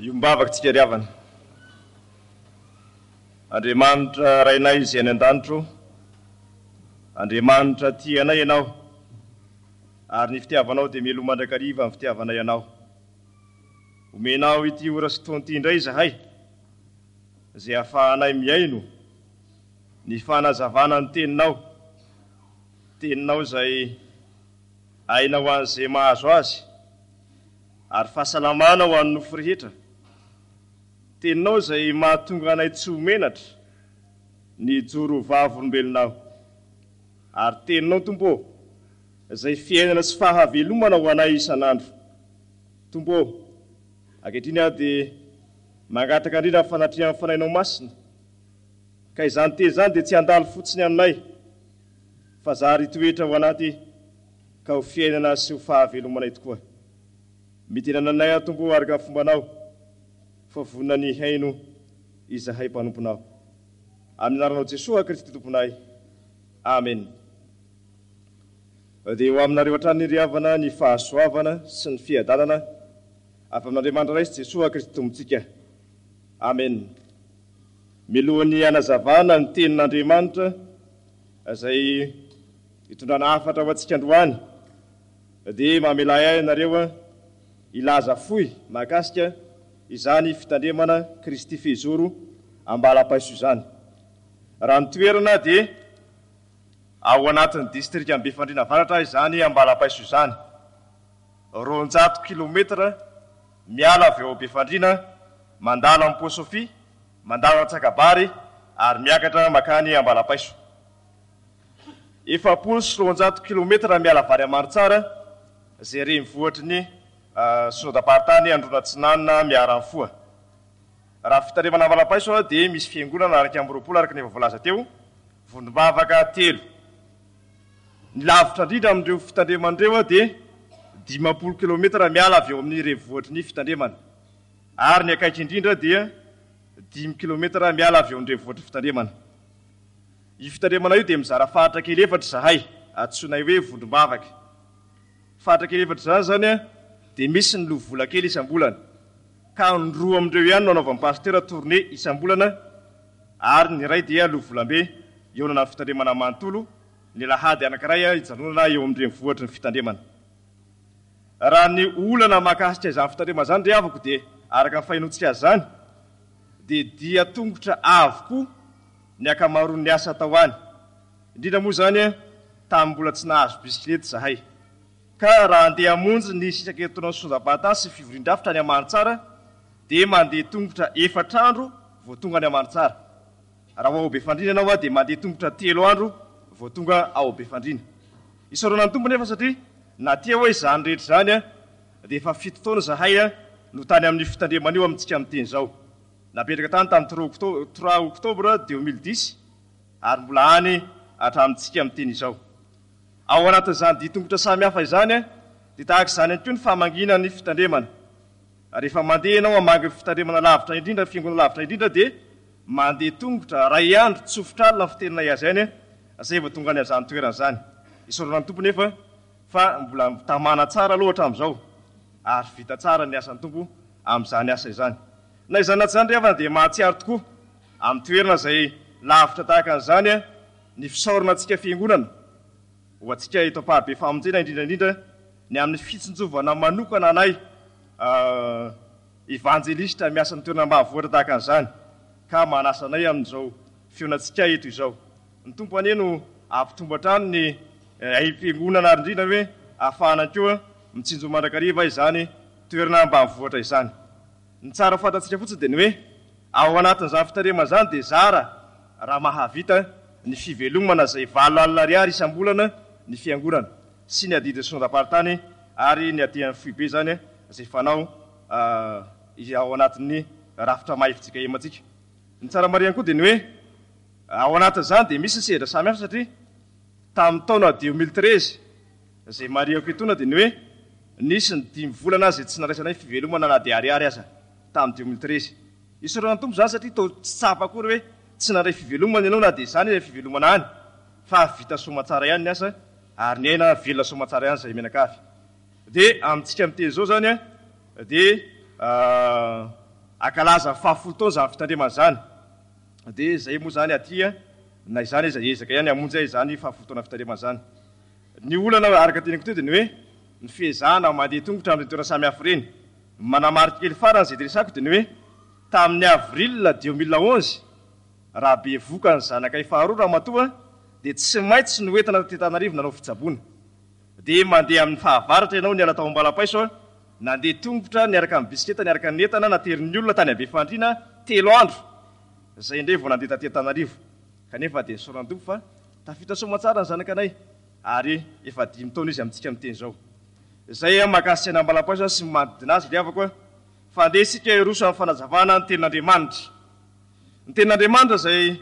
Iombavaka tsika ry havana. Andriamanitra Rainay izay any an-danitra ô, Andriamanitra tia anay Ianao, ary ny fitiavanao dia mialoha mandrakariva ny fitiavanay Anao. Omenao ity ora sy fotoana ity indray izahay, izay ahafahanay mihaino ny fanazavana ny Teninao, Teninao izay aina ho an'izay mahazo azy, ary fahasalamana ho an'ny nofo rehetra. Teninao izay mahatonga anay tsy ho menatra ny hijoro ho vavolombelonao. Ary Teninao, Tompo ô, izay fiainana sy fahavelomana ho anay isan'andro. Tompo ô, ankehitriny aho dia mangataka indrindra ny fanatrehan'ny Fanahinao Masina, ka izany teny izany dia tsy handalo fotsiny aminay, fa zary hitoetra ao anaty ka ho fiainana sy ho fahavelomanay tokoa. Midina anay aho Tompo o araka ny fombanao fa vonona ny hihaino izahay mpanomponao. Amin'ny anaranao Jesoa Kristy Tomponay. Amen. Dia ho aminareo hatrany ry havana ny fahasoavana sy ny fiadanana avy amin'Andriamanitra Ray sy Jesoa Kristy Tompontsika. Amen. Mialohan'ny hanazavana ny tenin'Andriamanitra izay hitondrana hafatra ho antsika androany dia mamelà ahy ianareo hilaza fohy mahakasika izany fitandremana Kristy Fehizoro Ambalapaiso izany. Raha ny toerana dia ao anatin'ny distrikan'i Befandriana Avaratra izany Ambalapaiso izany. 200 kilometatra miala avy ao Befandriana mandalo amin'i Pont Sophie, mandalo Antsakabary ary miakatra makany Ambalapaiso. 240 kilometatra miala avy any Amaritsara, izay renivohitry ny Synodam-paritany Androna Atsinanana Miaramfoha. Raha fitandremana Ambalapaiso dia misy fiangonana 21 araka ny efa voalaza teo, vondrom-bavaka telo. Ny lavitra indrindra amin'ireo fitandremana ireo dia 50 kilometatra miala avy eo amin'ny renivohitry ny fitandremana, ary ny akaiky indrindra dia dimy kilometatra miala avy eo amin'ny renivohitry ny fitandremana. Io fitandremana io dia mizara faritra kely efatra izahay, antsoinay hoe vondrom-bavaka. Faritra kely efatra izany izany dia misy ny loha vola kely isam-bolana, ka ny roa amin'ireo ihany no anaovan'ny pasitera tournée isam-bolana ary ny iray dia loha volambe hihaonana amin'ny fitandremana manontolo ny alahady anankiray hijanonana eo amin'ny renivohitry ny fitandremana. Raha ny olana mahakasika izany fitandremana izany ry havako dia araka ny fahenoantsika azy izany dia dia tongotra avokoa ny ankamaroan'ny asa atao any, indrindra moa izany tamin'ny mbola tsy nahazo bisikileta izahay. Ka raha handeha hamonjy ny sisaketoronan'ny Sonjabata sy fivorian-drafitra any Amantsara dia mandeha tongotra efatra andro vao tonga any Amantsara. Raha ho ao Befandriana ianao dia mandeha tongotra telo andro vao tonga ao Befandriana. Isaorana ny Tompo nefa satria na teo izany rehetra izany dia efa fito taona izahay no tany amin'io fitandremana io amintsika miteny izao. Napetraka tany tamin'ny trois octobre 2010 ary mbola any hatramintsika miteny izao. Ao anatin'izany dian-tongotra samihafa izany dia tahaka izany ihany koa ny famangiana ny fitandremana. Rehefa mandeha ianao hamangy ny fitandremana lavitra indrindra, ny fiangonana lavitra indrindra dia mandeha tongotra iray andro tsofotra alina ny fiteninay azy any izay vao tonga any amin'izany toerana izany. Isaorana ny Tompo nefa fa mbola tamana tsara aloha hatramin'izao ary vita tsara ny asan'ny Tompo amin'izany asa izany. Na izany na tsy izany ry havana dia mahatsiaro tokoa amin'ny toerana izay lavitra tahaka an'izany ny fisaorana antsika Fiangonana, ho antsika eto Amparibe Famonjena indrindra indrindra ny amin'ny fitsinjovana manokana anay Evanjelistra miasa amin'ny toerana ambanivohitra tahaka an'izany ka manasa anay amin'izao fihaonantsika eto izao. Ny Tompo anie no hampitombo hatrany ny aim-piangonana ary indrindra hoe ahafahana koa mitsinjo mandrakariva izany toerana ambanivohitra izany. Ny tsara ho fantatsika fotsiny dia ny hoe ao anatin'izany fitarihana izany dia zara raha mahavita ny fivelomana izay 8000 ariary isam-bolana ny fiangonana sy ny adidin'ny synodam-paritany ary ny aty amin'ny foibe izany izay fanao ao anatin'ny rafitra maha fjkm antsika. Ny tsara marihana koa dia ny hoe ao anatin'izany dia misy ny sehatra samihafa satria tamin'ny taona 2013 izay marihako etoana dia ny hoe nisy ny dimy volana izay tsy nandraisanay fivelomana na dia ariary aza tamin'ny 2013. Isaorana ny Tompo izany satria toa tsy tsapa akory hoe tsy nandray fivelomana ianao na dia izany ilay fivelomana any fa vita soamatsara ihany ny asa ary ny aina velona soamatsara ihany izay mianakavy. Dia amintsika miteny izao izany dia. Hankalaza ny fahafolo taona izany fitandremana izany. Dia izay moa izany aty na izany aza hiezaka ihany hamonjy ahy izany fahafolo taona fitandremana izany. Ny olana araka ny teniko teo dia ny hoe ny fiezahana mandeha tongotra amin'ireny toerana samihafa ireny. Ny manamarika kely farany izay resahako dia ny hoe tamin'ny avril 2011 raha bevoka ny zanakay faharoa ramatoa dia tsy maintsy noentina taty Antananarivo nanao fitsaboana. Dia mandeha amin'ny fahavaratra ianao niala tao Ambalapaiso a, nandeha tongotra niaraka amin'ny bisikileta niaraka ny entana naterin'ny olona tany Befandriana telo andro izay indray vao nandeha taty Antananarivo. Kanefa dia nisaoran-Tompo fa tafita soamantsara ny zanakanay ary efa dimy taona izy amintsika miteny izao. Izay a mahakasika ny Ambalapaiso sy ny manodidina azy ry havako a, fa andeha isika hiroso amin'ny fanazavana ny tenin'Andriamanitra. Ny tenin'Andriamanitra izay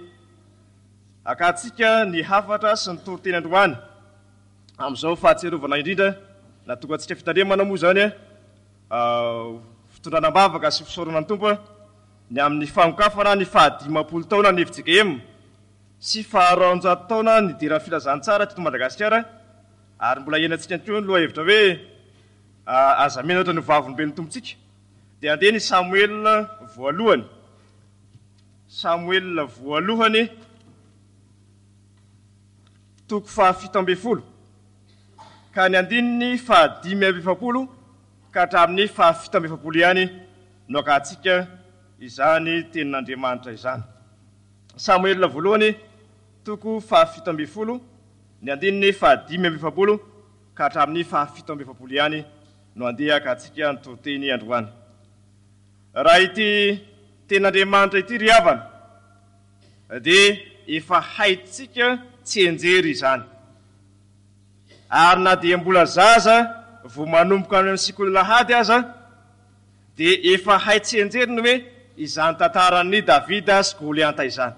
akantsika ny hafatra sy ny toriteny androany. Amin'izao fahatsiarovana indrindra nahatonga antsika fitandremana moa izany fitondrana am-bavaka sy fisaorana ny Tompo ny amin'ny fanokafana ny fahadimampolo taona ny fjkm sy faharoanjato taona nidiran'ny filazantsara teto Madagasikara ary mbola iainantsika ihany koa ny lohahevitra hoe aza menatra ny ho vavolombelon'ny Tompontsika dia andeha ny Samoela voalohany Samoela voalohany toko fahafito ambin'ny folo ka ny andininy faha-45 ka hatramin'ny faha-47 ihany no akahantsika izany tenin'Andriamanitra izany. Samoela voalohany toko fahafito ambin'ny folo ny andininy faha-45 ka hatramin'ny faha-47 ihany no andeha akahantsika ny toriteny androany. Raha ity tenin'Andriamanitra ity ry havana dia efa haintsika tsianjery izany. Ary na dia mbola zaza vao manomboka any amin'ny sekoly alahady aza dia efa hay tsianjery ny hoe izany tantaran'i Davida sy Golianta izany.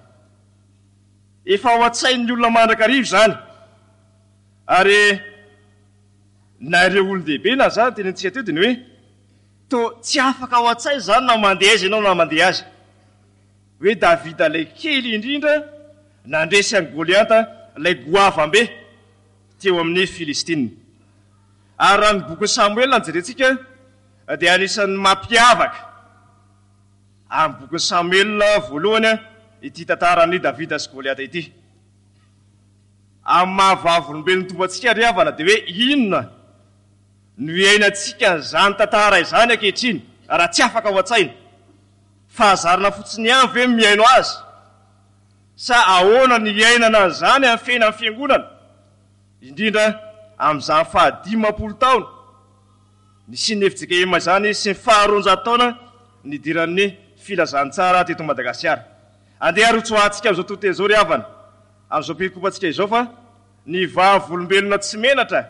Efa ao an-tsain'ny olona mandrakariva izany. Ary na ireo olon-dehibe na za tenenintsika teo dia ny hoe toa tsy afaka ao an-tsaina izany na mandeha aiza ianao na mandeha aiza. Hoe Davida ilay kely indrindra nandresy an'i Goliata ilay goavam-be teo amin'ny Filistina. Ary raha ny bokin'i Samoela no jerentsika dia anisan'ny mampiavaka amin'ny bokin'i Samoela voalohany ity tantaran'i Davida sy Goliata ity. Amin'ny maha vavolombelon'ny Tompo antsika ry havana dia hoe inona no iainantsika an'izany tantara izany ankehitriny raha tsy afaka ao an-tsaina? Fahazarana fotsiny ihany ve ny mihaino azy? Sa ahoana ny hiainana an'izany amin'ny fiainan'ny Fiangonana, indrindra amin'izany faha-50 taona nisian'ny fjkm izany sy ny faha-200 taona nidiran'ny Filazantsara teto Madagasikara? Andeha ary hotsoahantsika amin'izao tontolo izao ry havana, amin'izao perikopantsika izao fa ny vavolombelona tsy menatra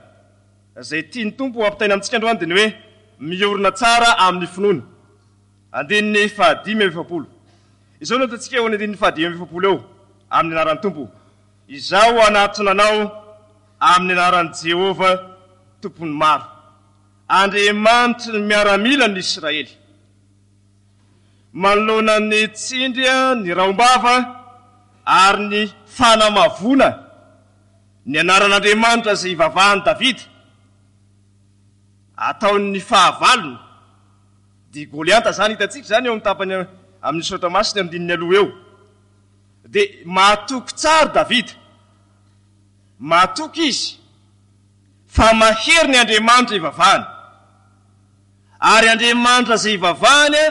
izay tian'ny Tompo ho ampitaina amintsika androany dia ny hoe miorina tsara amin'ny finoana. Andininy faha-45. Izao no ataontsika eo amin'ny andininy faha-45 eo, Amin'ny anaran'ny Tompo, izaho hanatona anao amin'ny anaran'i Jehovah Tompon'ny maro, Andriamanitry ny miaramilan'ny Israely. Manoloana ny tsindry, ny rahom-bava ary ny fanamavoana ny anaran'Andriamanitra izay ivavahan'i Davida, ataon'ny fahavalony, Dia i Goliata izany, hitantsika izany eo amin'ny tapany amin'ny Soratra Masina eo andininy aloha eo. Dia mahatoky tsara Davida. Mahatoky izy fa mahery ny Andriamanitra ivavahany. Ary Andriamanitra izay ivavahany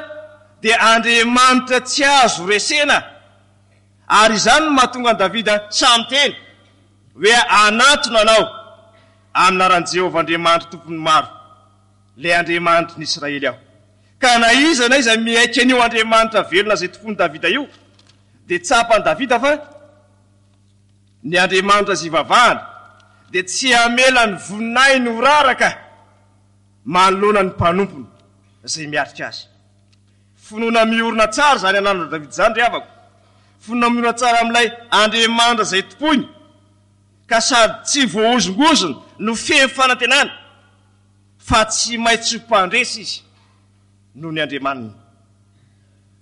dia Andriamanitra tsy azo resena. Ary izany no mahatonga an'i Davida sahy miteny hoe hanatona anao amin'ny anaran'i Jehovah Andriamanitra Tompon'ny maro. Ilay Andriamanitry ny Israely aho. Ka na iza na iza miaiky an'io Andriamanitra velona izay tompoin'i Davida io, dia tsapan'i Davida fa ny Andriamanitra izay ivavahany dia tsy hamela ny voninahiny ho raraka manoloana ny mpanompony izay miatrika azy. Finoana miorina tsara izany ananan'i Davida izany, ry havako. Finoana miorina tsara amin'ilay Andriamanitra izay tompoiny, ka sady tsy voahozongozona no feno fanantenana. fa tsy maintsy ho mpandresy izy noho ny Andriamaniny.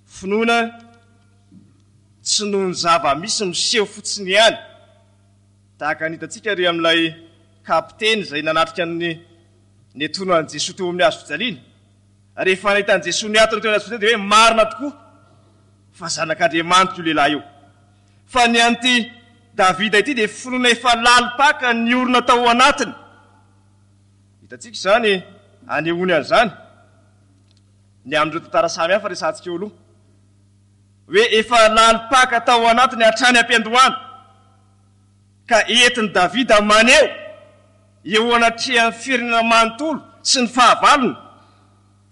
Finoana tsy noho ny zava-misy miseho fotsiny ihany, tahaka ny hitantsika ery amin'ilay kapiteny izay nanatrika ny niantsoana an'i Jesoa teo amin'ny hazo fijaliana. Rehefa nahita an'i Jesoa niatona teo anaty dia hoe marina tokoa fa zanak'Andriamanitra io lehilahy io. Fa ny an'ity Davida ity dia finoana efa lalim-paka niorina tao anatiny. Hitantsika izany anehoany an'izany ny amin'ireo tantara samy hafa resahantsika eo aloha. Hoe efa lalim-paka tao anatiny hatrany am-piandohana. Ka entin'i Davida maneho eo anatrehan'ny firenena manontolo sy ny fahavalony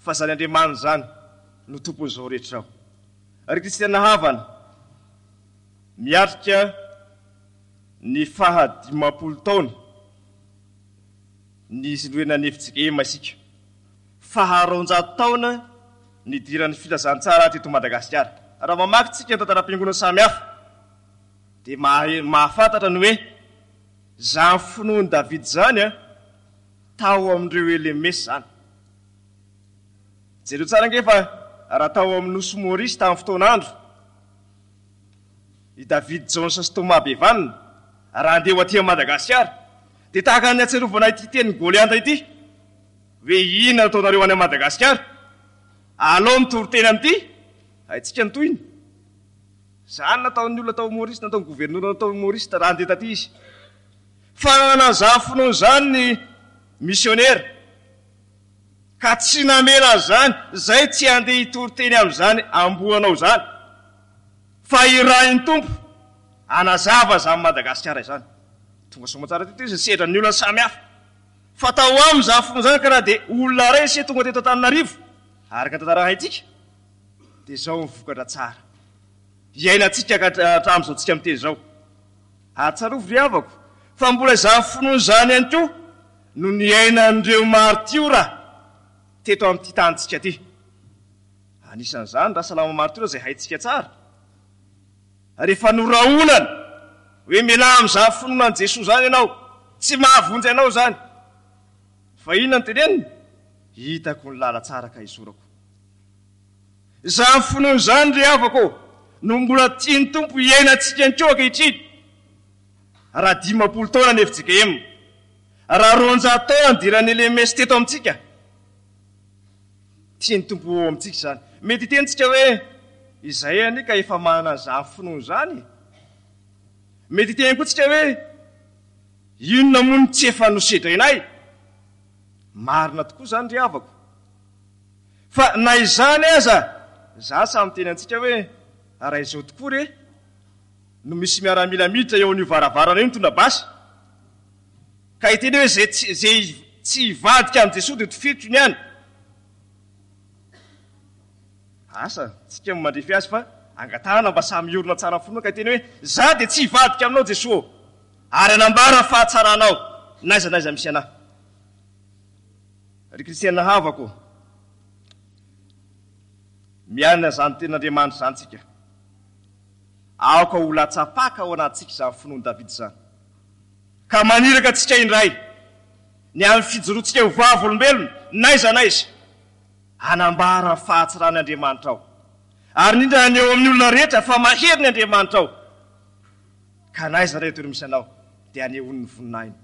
fa izany Andriamaniny izany no tompon'izao rehetra izao. Ry kristiana havana, miatrika ny faha 50 taona niorenan'ny fjkm isika. Faha 200 taona nidiran'ny filazantsara teto Madagasikara. Raha mamaky tsika ny tantaram-piangonana samihafa dia mahafantatra ny hoe izany finoan'i Davida izany tao amin'ireo LMS izany. Jereo tsara ange fa raha tao amin'ny nosy Maurice tamin'ny fotoan'andro i David Jones sy Thomas Bevan raha handeha ho aty Madagasikara dia tahaka ny ahatsiarovana ity tenin'i Golianta ity hoe inona no ataonareo any Madagasikara? Alao mitory teny amin'ity haintsika ny tohiny. Izany nataon'ny olona tao Maurice, nataon'ny governora tao Maurice raha handeha taty izy. Fa nanana an'izany finoana izany ny misionera. Ka tsy namela an'izany, izay tsy handeha hitory teny amin'izany amboanao izany. Fa irahin'ny Tompo hanazava izany Madagasikara izany. Tonga soamantsara teto izy, nisedra ny olona samihafa. Fa tao aminy izany finoana izany ka na dia olona iray ise tonga teto Antananarivo, araka ny tantara haintsika, dia izao ny vokatra tsara iainantsika ka hatramin'izao tsika miteny izao. Ary tsarovy ry havako fa mbola izany finoana izany ihany koa no niainan'ireo martiora teto amin'ity tanintsika ity. Anisan'izany Rasalama martiora izay haintsika tsara. Rehefa norahonana hoe mialà amin'izany finoana an'i Jesoa izany ianao, tsy mahavonjy anao izany. Fa inona no teneniny? Hitako ny lalan-tsara ka izorako. Izany finoana izany ry havako ô, no mbola tian'ny Tompo hiainantsika ihany koa ankehitriny. Raha 50 taona ny fjkm, raha 200 taona nidiran'ny LMS teto amintsika, tian'ny Tompo ho ao amintsika izany. Mety hiteny tsika hoe, izay anie ka efa manana an'izany finoana izany e. Mety hiteny koa tsika hoe, inona moa no tsy efa nosedrainay? Marina tokoa izany ry havako. Fa na izany aza, za sahy miteny antsika hoe raha izao tokoa re no misy miaramila miditra eo an'io varavarana io mitondra basy ka hiteny hoe zay tsy zay tsy hivadika amin'i Jesoa dia tifiriko ny any. Asa, tsika no mandrefy azy fa angatahana mba samy hiorina tsara finoana ka hiteny hoe za dia tsy hivadika aminao Jesoa ô, ary hanambara ny fahatsaranao n'aiza n'aiza misy anah. Ry kristiana havako ô, miaina izany tenin'Andriamanitra izany tsika. Aoka ho latsa-paka ao anatintsika izany finoan'i Davida izany, ka maniraka antsika indray ny amin'ny fijoroantsika ho vavolombelona n'aiza n'aiza, hanambara ny fahatsaran'ny Andriamanitrao, ary indrindra haneho amin'ny olona rehetra fa mahery ny Andriamanitrao, ka n'aiza n'aiza toerana misy anao dia hanehoany ny voninahiny.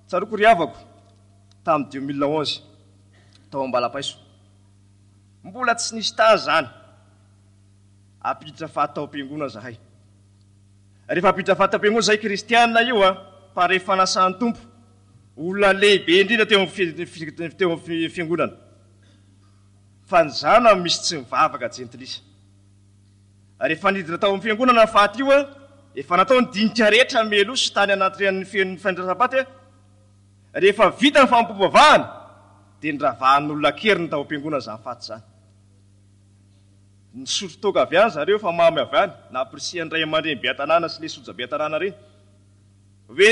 Tsaroako ry havako, tamin'ny 2011, tao Ambalapaiso. Mbola tsy nisy tany izany. Ampiditra faty tao am-piangonana izahay. Rehefa ampiditra faty tao am-piangonana izahay, kristiana io an, mpandray fanasan'ny Tompo, olona lehibe indrindra teo amin'ny teo amin'ny fiangonana. Fa ny zanany misy tsy mivavaka jentilisa. Rehefa nidina tao amin'ny fiangonana ny faty io, efa natao ny dinika rehetra mialoha sy tany anatrehan'ny fen'ny fandraisam-paty. Rehefa vita ny fanompoam-pivavahana, dia noravahan'olona an-keriny tao am-piangonana izany faty izany. Nisotro toaka avy any zareo fa mamy avy any, nampirisihan'ny ray aman-dreny be an-tanàna sy ilay soja be an-tanàna ireny hoe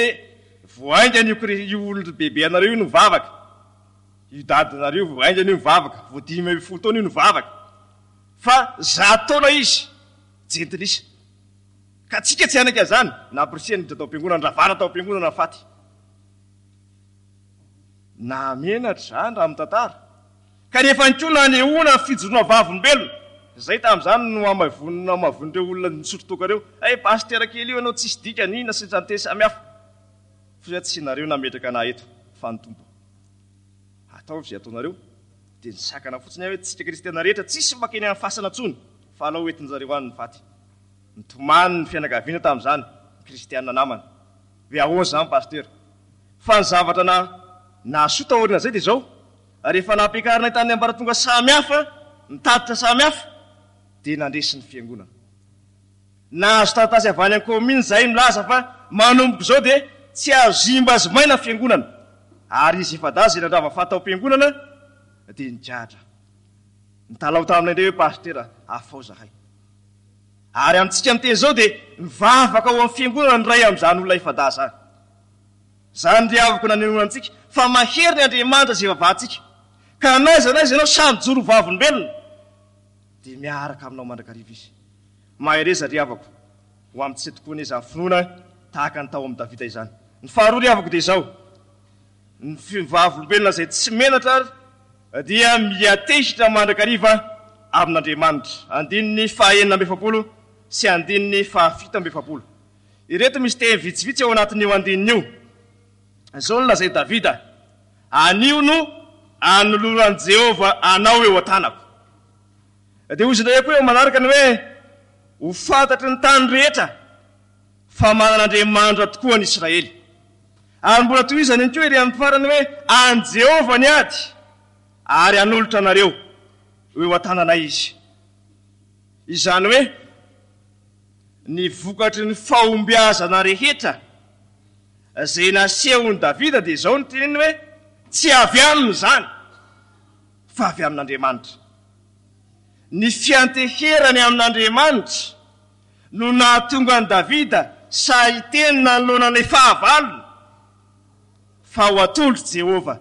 vao haingana io io olon-dry bebe anareo io no mivavaka, io dadanareo vao haingana io mivavaka, vao 15 taona io nivavaka. Fa zato taona izy, jentilisa. Ka tsika tsy hanaiky an'izany. Nampirisihana hiditra tao am-piangonana, ravana tao am-piangonana ny faty. Nahamenatra izany raha mitantara. Kanefa ihany koa nanehoana ny fijoroana vavolombelona. Izay tamin'izany no hamavonin'ireo olona nisotro toaka ireo. Hay pasitera kely io ianao tsisy dikany, inona sy ny teny samihafa. Fa tsy nareo nametraka anah eto fa ny Tompo. Ataovy izay ataonareo. Dia nisakana fotsiny aho hoe tsika kristiana rehetra tsisy makeny amin'ny fasana intsony fa alao hoentin-jareo any ny faty. Nitomany ny fianakaviana tamin'izany, ny kristiana namana. Hoe ahoana izany Pasteur? Fa ny zavatra na nahasoa taorian'izay dia izao, rehefa nampiakarinay tamin'ny ambaratonga samy hafa ny tatitra samy hafa dia nandresy ny fiangonana. Nahazo taratasy avy any an-kaominina izahay milaza fa manomboka izao dia tsy azo zimbazimaina ny fiangonana ary izy efa-dahy izay nandrava faty tao am-piangonana dia nigadra. Nitalaho taminay indray hoe Pasitera afao izahay. Ary amintsika miteny izao dia mivavaka ao amin'ny fiangonana ny iray amin'izany olona efa-dahy izany. Izany ry havako nanehoana antsika fa mahery ny Andriamanitra izay ivavahantsika. Ka n'aiza n'aiza ianao sahy mijoro ho vavolombelona dia miaraka aminao mandrakariva Izy. Mahereza ry havako, ho amintsika tokoa anie izany finoana tahaka ny tao amin'i Davida izany. Ny faharoa ry havako dia izao, ny vavolombelona izay tsy menatra ary dia miatehitra mandrakariva amin'Andriamanitra. Andininy faha-46 sy andininy faha-47. Ireto misy teny vitsivitsy ao anatin'io andininy io. Izao no lazain'i Davida, Anio no anoloran'i Jehovah anao eo an-tanako. Dia hoy izy indray koa eo manaraka ny hoe, Ho fantatry ny tany rehetra fa manana Andriamanitra tokoa ny Israely. Ary mbola tohizany ihany koa ery amin'ny farany hoe, An'i Jehovah ny ady, ary hanolotra anareo ho eo an-tananay izy. Izany hoe, ny vokatry ny fahombiazana rehetra izay nasehon'i Davida dia izao no teneniny hoe, Tsy avy aminy izany, fa avy amin'Andriamanitra. Ny fianteherany amin'Andriamanitra no nahatonga an'i Davida sahy hiteny nanoloana ilay fahavalony fa ho atolotr'i Jehovah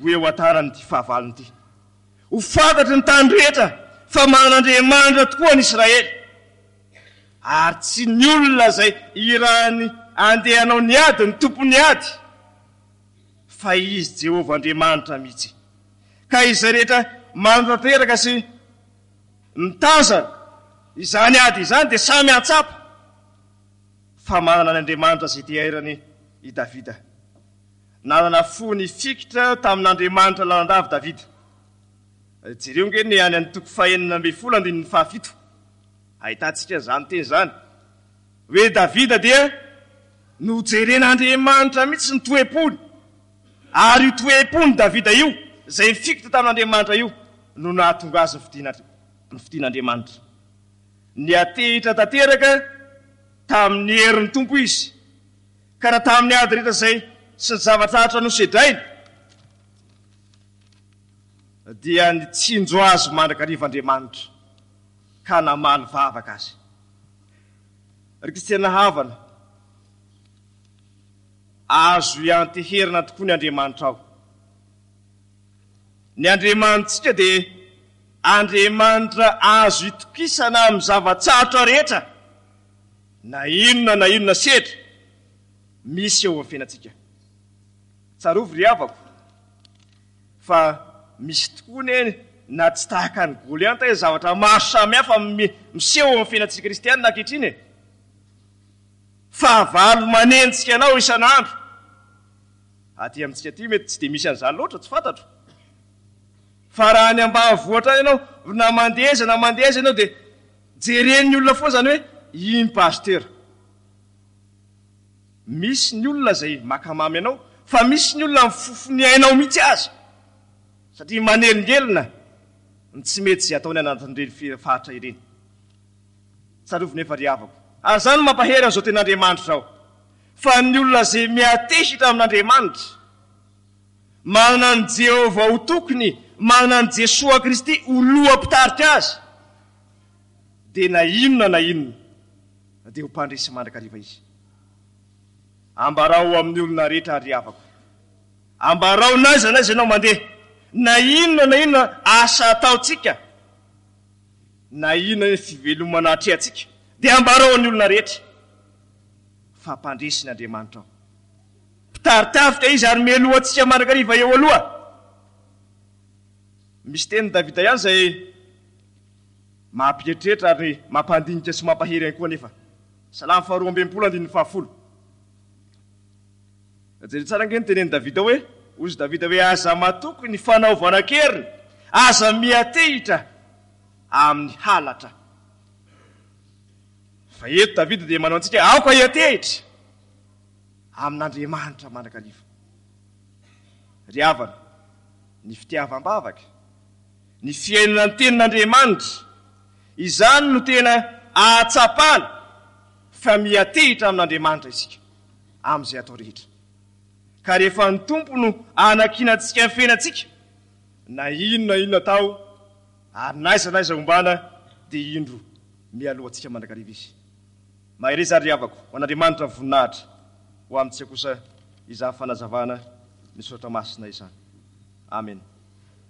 ho eo an-tanany ity fahavalony ity. Ho fantatry ny tany rehetra fa manana Andriamanitra tokoa ny Israely, ary tsy ny olona izay irahiny handeha hanao ny ady no tompon'ny ady, fa Izy Jehovah Andriamanitra mihitsy. Ka izay rehetra manatanteraka sy mitazana izany ady izany dia samy hahatsapa fa manana ny Andriamanitra izay te-hairany i Davida. Nanana fo nifikitra tamin'Andriamanitra lalandava Davida. Jereo ange ny any amin'ny toko fahenina ambin'ny folo andininy fahafito. Ahitantsika an'izany teny izany. Hoe Davida dia nojeren'Andriamanitra mihitsy ny toe-pony. Ary io toe-pon'i Davida io, izay nifikitra tamin'Andriamanitra io, no nahatonga azy nofidin'Andriamanitra. Niantehitra tanteraka tamin'ny herin'ny Tompo izy. Ka na tamin'ny ady rehetra izay sy ny zava-tsarotra nosedrainy, dia nitsinjo azy mandrakariva Andriamanitra, ka namaly vavaka azy. Ry kristiana havana, azo ianteherana tokoa ny Andriamanitrao. Ny Andriamanitsika dia Andriamanitra azo itokisana amin'ny zava-tsarotra rehetra. Na inona na inona sedra misy eo amin'ny fiainantsika. Tsarovy ry havako fa misy tokoa anie na tsy tahaka an'i Goliata aza zavatra maro samihafa miseho eo amin'ny fiainantsika kristianina ankehitriny e! Fahavalo manenjika anao isan'andro. Aty amintsika aty mety tsy dia misy an'izany loatra, tsy fantatro. Fa raha any ambanivohitra any ianao, na mandeha aiza na mandeha aiza ianao dia Jeren'ny olona foana izany hoe iny pasitera. Misy ny olona izay maka mamy anao fa misy ny olona mifofo ny ainao mihitsy aza satria manelingelina ny tsy mety izay ataony anatin'ireny faritra ireny. Tsarovy nefa ry havako, ary izany no mampahery an'izao tenin'Andriamanitra izao, fa ny olona izay miatehitra amin'Andriamanitra, manana an'i Jehovah ho tokony, manana an'i Jesoa Kristy ho loha mpitarika azy, dia na inona na inona dia ho mpandresy mandrakariva izy. Ambarao amin'ny olona rehetra ry havako. Ambarao n'aiza n'aiza ianao mandeha, na inona na inona asa ataontsika, na inona inona fivelomana atrehantsika, dia ambarao amin'ny olona rehetra fa mpandresy ny Andriamanitrao. Mpitari-tafika izy ary mialoha antsika mandrakariva eo aloha. Misy tenin'i Davida ihany izay mampieritreritra ary mampandinika sy mampahery ihany koa anefa. Salamo faharoa amby 60 andininy fahafolo. Jereo tsara ange ny tenenin'i Davida hoe. Hozy Davida hoe, Aza matoky ny fanaovana an-keriny, aza miantehitra amin'ny halatra. Fa eto Davida dia manao antsika, aoka hiantehitra amin'Andriamanitra mandrakariva. Ry havana, ny fitiavam-bavaka, ny fihainona ny tenin'Andriamanitra, izany no tena ahatsapana fa miantehitra amin'Andriamanitra isika amin'izay atao rehetra. Ka rehefa ny Tompo no anankinantsika ny fiainantsika, na inona na inona atao ary na aiza na aiza ombana dia indro mialoha antsika mandrakariva Izy. Mahereza ary ry havako, ho an'Andriamanitra ny voninahitra, ho amintsika kosa izany fanazavana ny Soratra Masina izany. Amena.